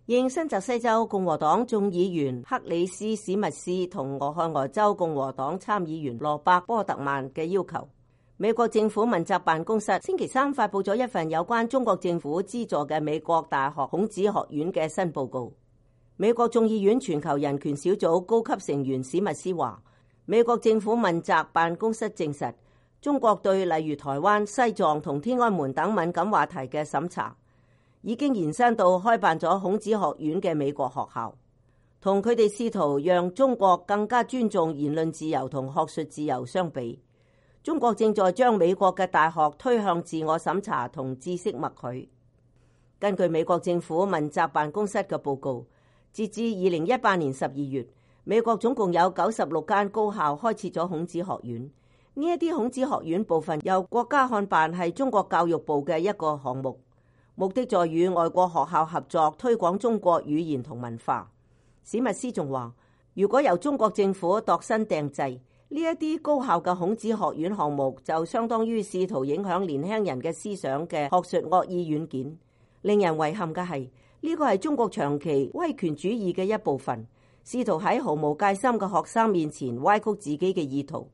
應新澤西州共和黨眾議員克里斯史密斯同俄亥俄州共和黨參議員羅伯波特曼嘅要求，美國政府問責辦公室星期三發佈咗一份有關中國政府資助嘅美國大學孔子學院嘅新報告。美國眾議院全球人權小組高級成員史密斯話，美國政府問責辦公室證實，中國對例如台灣、西藏同天安門等敏感話題嘅審查已經延伸到開辦咗孔子學院嘅美國學校，同佢哋試圖讓中國更加尊重言論自由同學術自由相比，中國正在將美國嘅大學推向自我審查同知識默許。根據美國政府問責辦公室嘅報告，截至2018年12月，美國總共有96間高校開設咗孔子學院。呢一啲孔子學院部分由國家看辦，係中國教育部嘅一個項目，目的在與外國學校合作推廣中國語言同文化。史密斯仲話，如果由中國政府度身訂製呢一啲高校嘅孔子學院項目，就相當於試圖影響年輕人嘅思想嘅學術惡意軟件。令人遺憾嘅係，呢個係中國長期威權主義嘅一部分，試圖喺毫無戒心嘅學生面前歪曲自己嘅意圖。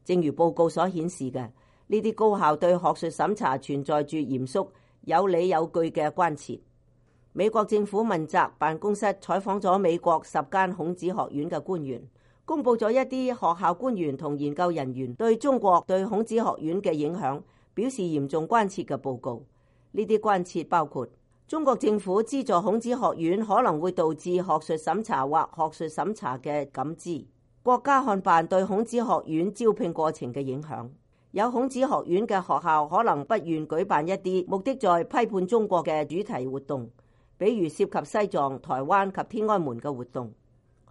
正如報告所顯示嘅，呢啲高校對學術審查存在住嚴肅、有理有據嘅關切。美國政府問責辦公室採訪咗美國10間孔子學院嘅官員，公佈咗一啲學校官員同研究人員對中國對孔子學院嘅影響表示嚴重關切嘅報告。呢啲關切包括中國政府資助孔子學院可能會導致學術審查或學術審查嘅感知，國家看辦對孔子學院招聘過程嘅影響，有孔子學院嘅學校可能不願舉辦一啲目的在批判中國嘅主題活動，比如涉及西藏、台灣及天安門嘅活動。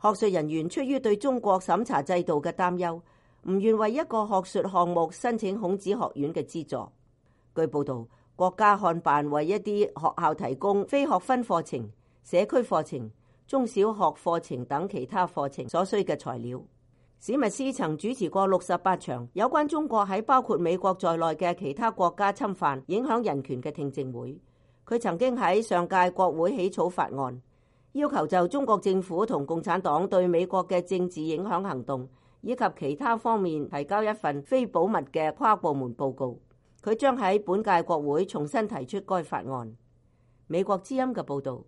學術人員出於對中國審查制度嘅擔憂，唔願為一個學術項目申請孔子學院嘅資助。據報道，國家看辦為一啲學校提供非學分課程、社區課程、中小學課程等其他課程所需嘅材料。史密斯曾主持過68場有關中國喺包括美國在內嘅其他國家侵犯、影響人權嘅聽證會。佢曾經喺上屆國會起草法案，要求就中國政府同共產黨對美國嘅政治影響行動以及其他方面提交一份非保密嘅跨部門報告。佢將喺本屆國會重新提出該法案。美國之音嘅報導。